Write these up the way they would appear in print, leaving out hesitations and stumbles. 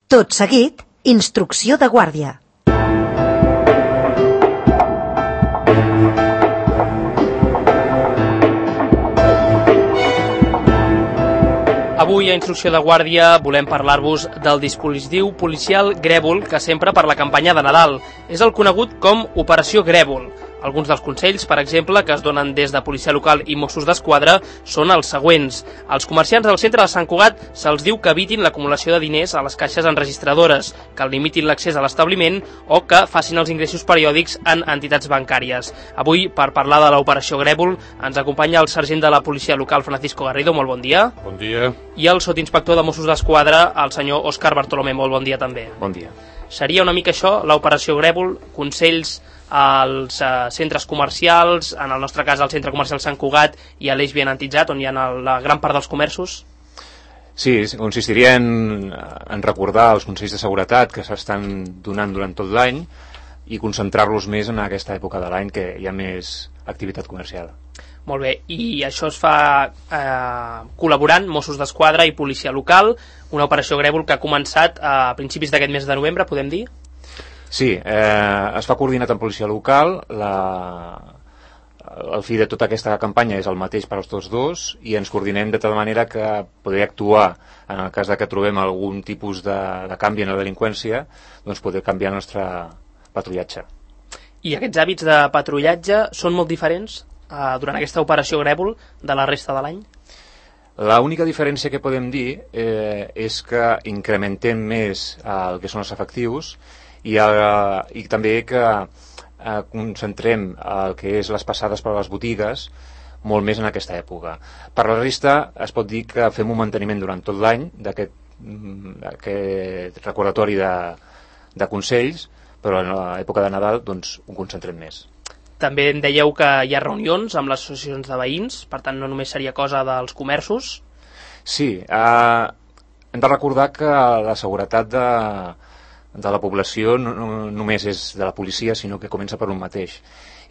Tot seguit, instrucció de guàrdia. Avui a Instrucció de Guàrdia volem parlar-vos del dispositiu policial Grèvol que s'empra per la campanya de Nadal. És el conegut com Operació Grèvol. Alguns dels consells, per exemple, que es donen des de Policia Local i Mossos d'Esquadra són els següents. Als comerciants del centre de Sant Cugat se'ls diu que evitin l'acumulació de diners a les caixes enregistradores, que limitin l'accés a l'establiment o que facin els ingressos periòdics en entitats bancàries. Avui, per parlar de l'Operació Grèvol, ens acompanya el sergent de la Policia Local, Francisco Garrido. Molt bon dia. Bon dia. I el sotinspector de Mossos d'Esquadra, el senyor Òscar Bartolomé. Molt bon dia també. Bon dia. Seria una mica això, l'Operació Grèvol, consells als centres comercials, en el nostre cas al centre comercial Sant Cugat i a l'Eix Bienantitzat, on hi ha la gran part dels comerços? Sí, consistiria en recordar els consells de seguretat que s'estan donant durant tot l'any i concentrar-los més en aquesta època de l'any que hi ha més activitat comercial. Molt bé, i això es fa col·laborant Mossos d'Esquadra i Policia Local, una operació Grèvol que ha començat a principis d'aquest mes de novembre, podem dir? Sí, es fa coordinat amb Policia Local, el fi de tota aquesta campanya és el mateix per als tots dos i ens coordinem de tal manera que poder actuar en el cas de que trobem algun tipus de canvi en la delinqüència, doncs poder canviar el nostre patrullatge. I aquests hàbits de patrullatge són molt diferents durant aquesta operació Grèvol de la resta de l'any? L'única diferència que podem dir és que incrementem més el que són els efectius i també que concentrem el que és les passades per les botigues molt més en aquesta època. Per la resta es pot dir que fem un manteniment durant tot l'any d'aquest recordatori de consells, però en l'època de Nadal doncs ho concentrem més. També em dèieu que hi ha reunions amb les associacions de veïns, per tant no només seria cosa dels comerços? Sí, hem de recordar que la seguretat de la població no només és de la policia, sinó que comença per un mateix.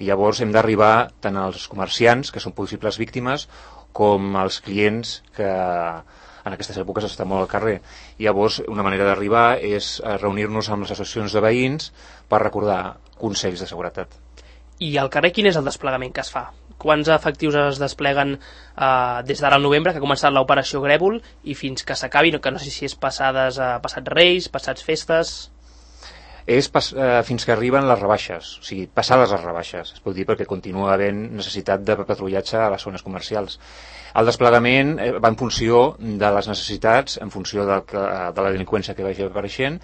I llavors hem d'arribar tant als comerciants, que són possibles víctimes, com als clients que en aquestes èpoques estan molt al carrer. I llavors una manera d'arribar és reunir-nos amb les associacions de veïns per recordar consells de seguretat. I al carrer quin és el desplegament que es fa? Quants efectius es despleguen des d'ara al novembre, que ha començat l'operació Grèvol, i fins que s'acabi, que no sé si és passats Reis, passats festes... És fins que arriben les rebaixes, o sigui, passades les rebaixes, es pot dir, perquè continua havent necessitat de patrullatge a les zones comercials. El desplegament va en funció de les necessitats, en funció de la delinqüència que vagi apareixent,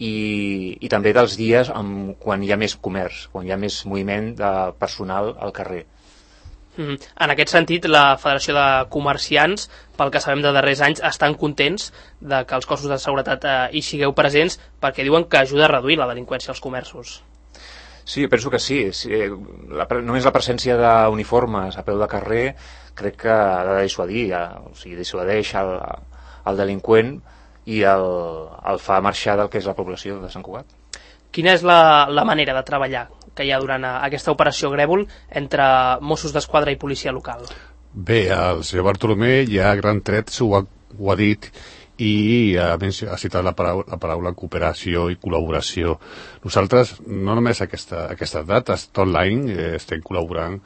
i també dels dies quan hi ha més comerç, quan hi ha més moviment de personal al carrer. En aquest sentit, la Federació de Comerciants, pel que sabem de darrers anys, estan contents de que els cossos de seguretat hi sigueu presents perquè diuen que ajuda a reduir la delinqüència als comerços. Sí, penso que sí. Només la presència d'uniformes a peu de carrer crec que ha de dissuadir, o sigui, dissuadeix el delinqüent i el fa marxar del que és la població de Sant Cugat. Quina és la manera de treballar que hi ha durant aquesta operació Grèvol entre Mossos d'Esquadra i Policia Local? Bé, el senyor Bartolomé ja a gran tret ho ha dit i ha citat la paraula cooperació i col·laboració. Nosaltres, no només aquestes dates, tot l'any estem col·laborant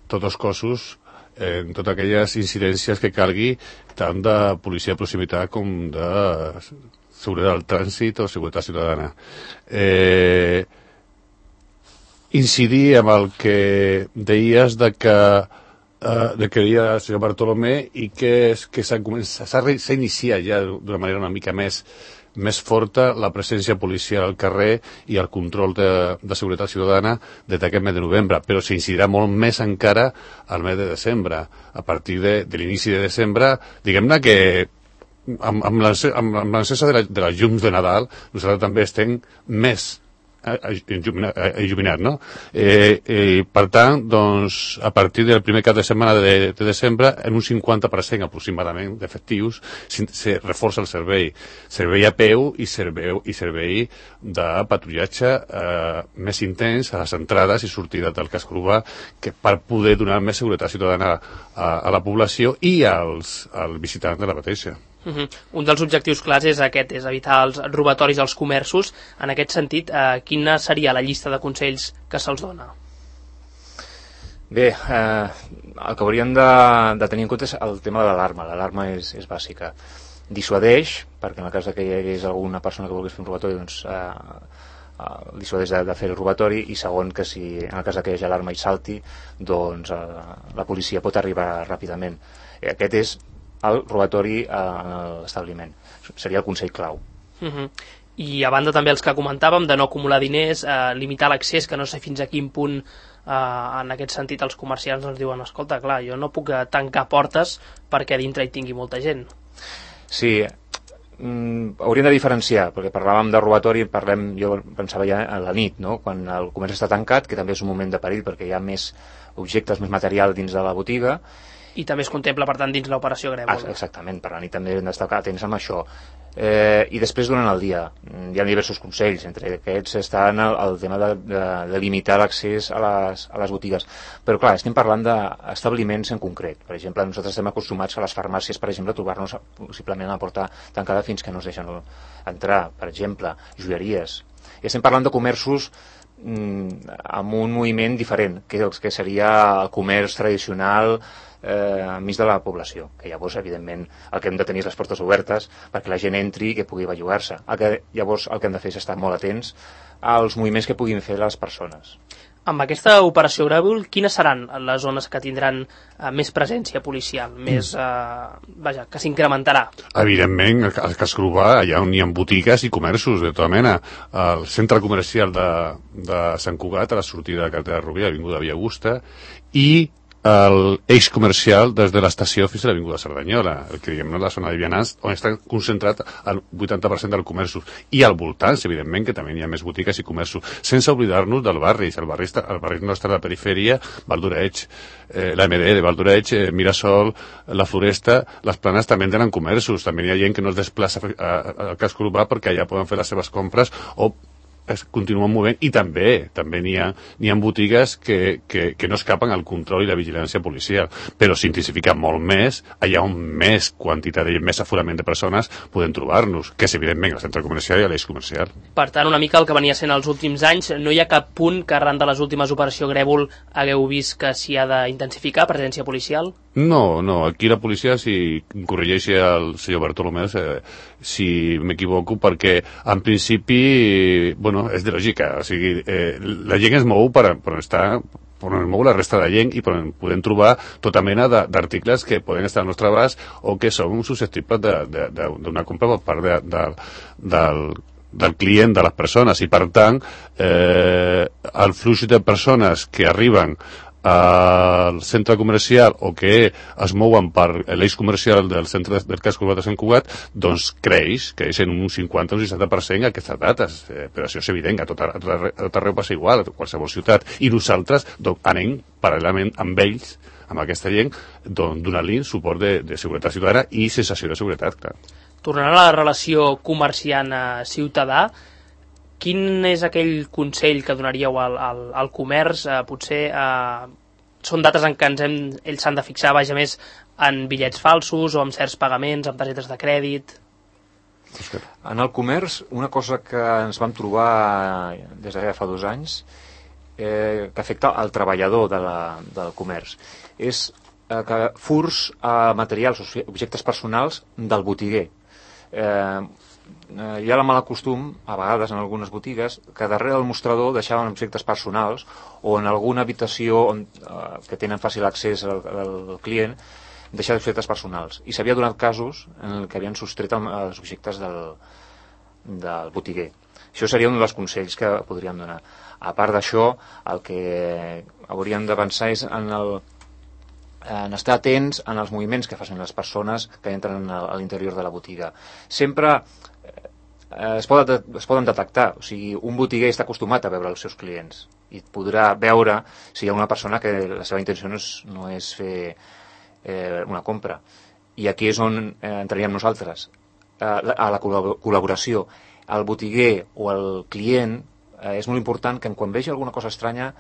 tots els cossos en totes aquelles incidències que calgui, tant de policia de proximitat com de seguretat del trànsit o seguretat ciutadana. Incidir amb el que deies de que deia el senyor Bartolomé i que s'ha iniciat ja d'una manera una mica més forta la presència policial al carrer i el control de seguretat ciutadana des d'aquest mes de novembre, però s'incidirà molt més encara al mes de desembre. A partir de l'inici de desembre, diguem-ne que amb l'encesa de les llums de Nadal nosaltres també estem més il·luminat, no? Per tant, doncs, a partir del primer cap de setmana de desembre, en un 50% aproximadament d'efectius, se reforça el servei a peu i servei de patrullatge més intens a les entrades i sortides del casc urbà, per poder donar més seguretat ciutadana a la població i als visitants de la mateixa. Un dels objectius clars és aquest, és evitar els robatoris als comerços. En aquest sentit, quina seria la llista de consells que se'ls dona? Bé, el que hauríem de tenir en compte és el tema de l'alarma. L'alarma és bàsica. Dissuadeix, perquè en el cas que hi hagués alguna persona que volgués fer un robatori, doncs dissuadeix de fer el robatori, i segon, que si en el cas que hi hagi alarma i salti, doncs la policia pot arribar ràpidament. Aquest és el robatori a l'establiment. Seria el consell clau. I a banda també els que comentàvem de no acumular diners, limitar l'accés, que no sé fins a quin punt en aquest sentit els comerciants ens diuen, escolta, clar, jo no puc tancar portes perquè a dintre hi tingui molta gent. Sí, hauríem de diferenciar, perquè parlàvem de robatori, jo pensava ja a la nit, no? Quan el comerç està tancat, que també és un moment de perill perquè hi ha més objectes, més material dins de la botiga. I també es contempla, per tant, dins l'operació Grèvol. Exactament, per la nit també hem d'estar atents amb això. I després durant el dia hi ha diversos consells, entre aquests està el tema de limitar l'accés a les botigues, però clar, estem parlant d'establiments en concret. Per exemple, nosaltres estem acostumats a les farmàcies, per exemple, a trobar-nos possiblement a la porta tancada fins que no ens deixen entrar, per exemple, joieries. I estem parlant de comerços amb un moviment diferent, que seria el comerç tradicional enmig de la població, que llavors evidentment el que hem de tenir és les portes obertes perquè la gent entri i que pugui bellugar-se. Llavors el que hem de fer és estar molt atents als moviments que puguin fer les persones. Amb aquesta operació Grèvol, quines seran les zones que tindran més presència policial, més, que s'incrementarà? Evidentment, al casc urbà, allà on hi ha botigues i comerços de tota mena. El centre comercial de Sant Cugat, a la sortida de carretera de Rubí, avinguda Via Augusta, i l'eix comercial des de l'estació fins a l'avinguda Cerdanyola, el que diguem, la zona de vianants, on està concentrat el 80% dels comerços, i al voltant, evidentment, que també hi ha més botigues i comerços, sense oblidar-nos del barri. El barri nostre de la perifèria, Valdoreig, la MD de Valdoreig, Mirasol, la Floresta, les Planes també tenen comerços, també hi ha gent que no es desplaça al casc urbà perquè allà poden fer les seves compres o es continuen movent, i també n'hi ha botigues que no escapen al control i la vigilància policial, però s'intensifica molt més allà on més quantitat i més aforament de persones podem trobar-nos, que és evidentment el centre comercial i l'eix comercial. Per tant, una mica el que venia sent els últims anys, no hi ha cap punt que arran de les últimes operacions Grèvol hagueu vist que s'hi ha d'intensificar presència policial? No, aquí la policia, si corregeixi el senyor Bartolomé, si m'equivoco, perquè en principi, és de lògica, o sigui, la gent es mou per estar, per on es mou la resta de gent i podem trobar tota mena d'articles que poden estar al nostre abast o que són susceptibles d'una compra per part del client, de les persones, i per tant el flux de persones que arriben al centre comercial o que es mouen per l'eix comercial del centre del casc urbà de Sant Cugat, doncs creix en un 50 o un 60% aquestes dates, però això és evident, a tot arreu passa igual, a qualsevol ciutat, i nosaltres anem paral·lelament amb ells, amb aquesta gent, donant-li suport de seguretat ciutadana i sensació de seguretat, clar. Tornant a la relació comerciant-ciutadà, quin és aquell consell que donaríeu al comerç? Potser són dates en què ells s'han de fixar més en bitllets falsos o en certs pagaments, amb targetes de crèdit? En el comerç, una cosa que ens vam trobar des de fa 2 anys que afecta al treballador del comerç és que furs a materials o objectes personals del botiguer. Hi ha el mal costum, a vegades en algunes botigues, que darrere del mostrador deixaven objectes personals o en alguna habitació que tenen fàcil accés al client deixar objectes personals. I s'havia donat casos en què havien sostret els objectes del botiguer. Això seria un dels consells que podríem donar. A part d'això, el que hauríem de pensar és en estar atents en els moviments que facin les persones que entren a l'interior de la botiga. Sempre es poden detectar, o sigui, un botiguer està acostumat a veure els seus clients i podrà veure si hi ha una persona que la seva intenció no és fer una compra. I aquí és on entraríem nosaltres, a la col·laboració. El botiguer o el client és molt important que quan vegi alguna cosa estranya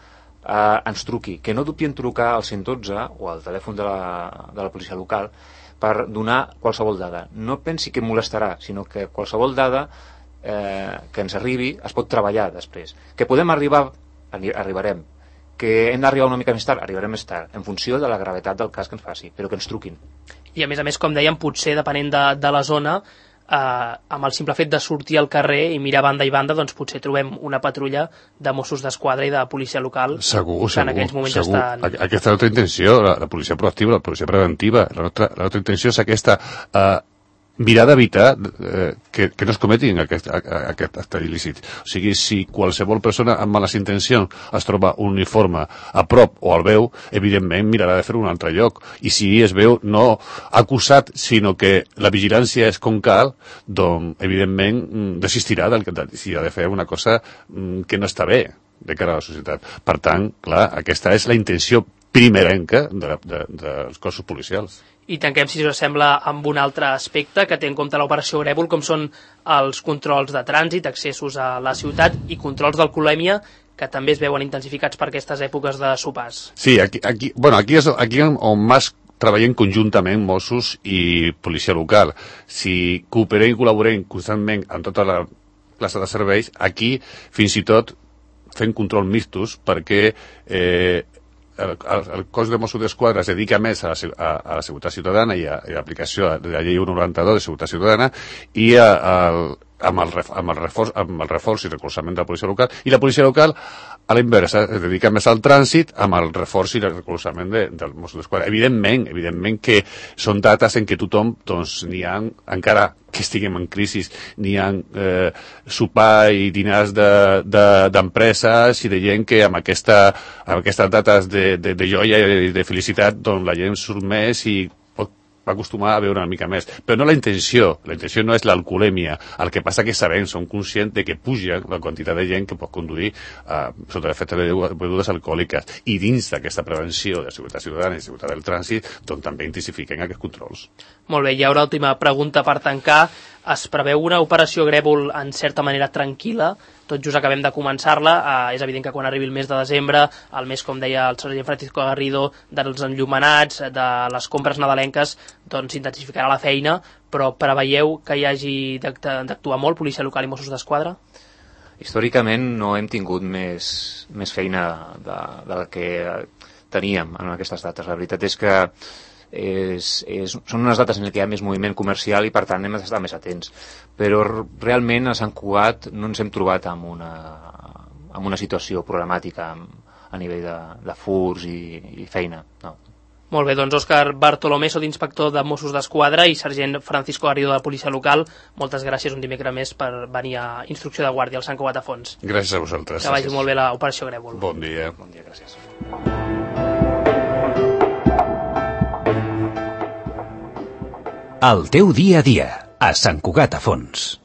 ens truqui, que no dubti en trucar al 112 o al telèfon de la policia local, per donar qualsevol dada. No pensi que molestarà, sinó que qualsevol dada que ens arribi es pot treballar després. Que podem arribar, arribarem. Que hem d'arribar una mica més tard, arribarem més tard, en funció de la gravetat del cas que ens faci, però que ens truquin. I a més, com dèiem, potser depenent de la zona, amb el simple fet de sortir al carrer i mirar banda i banda, doncs potser trobem una patrulla de Mossos d'Esquadra i de policia local segur, que en aquells moments segur. estan... Aquesta és la nostra intenció, la policia proactiva, la policia preventiva. La nostra intenció és aquesta, mirar d'evitar que no es cometin aquest acte il·lícit. O sigui, si qualsevol persona amb males intencions es troba un uniforme a prop o el veu, evidentment mirarà de fer-ho en un altre lloc. I si es veu no acusat, sinó que la vigilància és com cal, doncs, evidentment, desistirà si ha de fer una cosa que no està bé de cara a la societat. Per tant, clar, aquesta és la intenció primerenca dels cossos policials. I tanquem, si us sembla, amb un altre aspecte que té en compte l'operació Grèvol, com són els controls de trànsit, accessos a la ciutat i controls d'alcoholèmia, que també es veuen intensificats per aquestes èpoques de sopars. Sí, aquí és on més treballem conjuntament Mossos i policia local. Si cooperem i col·laborem constantment en tota la classe de serveis, aquí fins i tot fem control mixtos perquè el cos de Mossos d'Esquadra es dedica més a la seguretat ciutadana i a l'aplicació de la llei 192 de seguretat ciutadana i amb el reforç i recolzament de la policia local, i la policia local a l'inversa es dedica més al trànsit amb el reforç i el recolzament del Mossos d'Esquadra. Evidentment que són dates en què tothom, doncs, n'hi ha, encara que estiguem en crisi, n'hi ha sopar i dinars d'empreses i de gent que amb aquestes dates de joia i de felicitat, doncs la gent surt més i va acostumar a veure una mica més. Però no la intenció no és l'alcoholèmia. El que passa que sabem, som conscients de que puja la quantitat de gent que pot conduir sota l'efecte de begudes alcohòliques. I dins d'aquesta prevenció de seguretat ciutadana i seguretat del trànsit, doncs també intensifiquen aquests controls. Molt bé, i ara última pregunta per tancar. Es preveu una operació Grèvol en certa manera tranquil·la? Tot just acabem de començar-la. És evident que quan arribi el mes de desembre, el mes, com deia el sergent Francisco Garrido, dels enllumenats, de les compres nadalenques, doncs s'intensificarà la feina, però preveieu que hi hagi d'actuar molt policia local i Mossos d'Esquadra? Històricament no hem tingut més feina de la que teníem en aquestes dates. La veritat és que són unes dates en què hi ha més moviment comercial i per tant hem d'estar més atents, però realment a Sant Cugat no ens hem trobat amb una situació problemàtica a nivell de furs i feina, no. Molt bé, doncs Òscar Bartolomé, inspector de Mossos d'Esquadra, i sergent Francisco Garrido de la policia local, moltes gràcies un dimecres més per venir a Instrucció de Guàrdia al Sant Cugat a Fons. Gràcies a vosaltres. Que vagi molt bé l'operació Grèvol. Bon dia. Bon dia, gràcies. El teu dia a dia, a Sant Cugat a Fons.